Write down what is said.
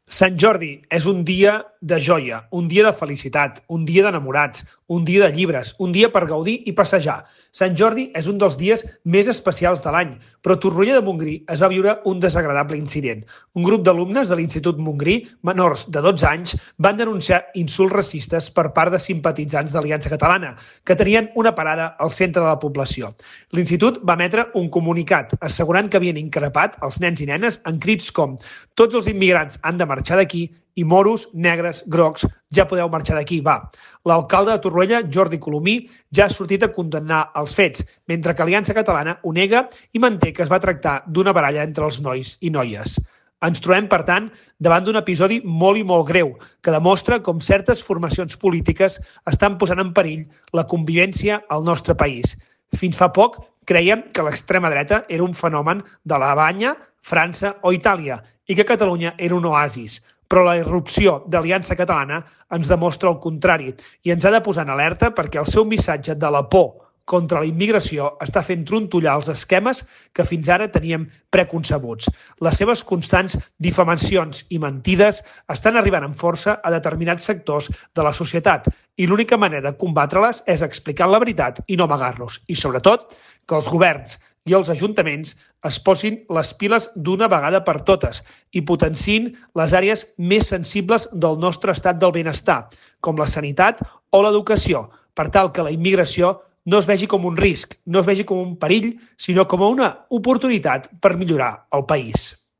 Sant Jordi és un dia de joia, un dia de felicitat, un dia d'enamorats, un dia de llibres, un dia per gaudir i passejar. Sant Jordi és un dels dies més especials de l'any, però a Torroella de Montgrí es va viure un desagradable incident. Un grup d'alumnes de l'Institut Montgrí, menors de 12 anys, van denunciar insults racistes per part de simpatitzants d'Aliança Catalana, que tenien una parada al centre de la població. L'Institut va emetre un comunicat assegurant que havien increpat els nens i nenes en crits com «Tots els immigrants han de marxar d'aquí» i moros, negres, grocs, ja podeu marxar d'aquí, va. L'alcalde de Torroella, Jordi Colomí, ja ha sortit a condemnar els fets, mentre que Aliança Catalana ho nega i manté que es va tractar d'una baralla entre els nois i noies. Ens trobem, per tant, davant d'un episodi molt i molt greu, que demostra com certes formacions polítiques estan posant en perill la convivència al nostre país. Fins fa poc creiem que l'extrema dreta era un fenomen d'Alemanya, França o Itàlia i que Catalunya era un oasis. Però la irrupció d'Aliança Catalana ens demostra el contrari i ens ha de posar en alerta perquè el seu missatge de la por contra la immigració està fent trontollar els esquemes que fins ara teníem preconcebuts. Les seves constants difamacions i mentides estan arribant amb força a determinats sectors de la societat i l'única manera de combatre-les és explicant la veritat i no amagar-nos. I sobretot, que els governs i els ajuntaments es posin les piles d'una vegada per totes i potenciïn les àrees més sensibles del nostre estat del benestar, com la sanitat o l'educació, per tal que la immigració no es vegi com un risc, no es vegi com un perill, sinó com una oportunitat per millorar el país.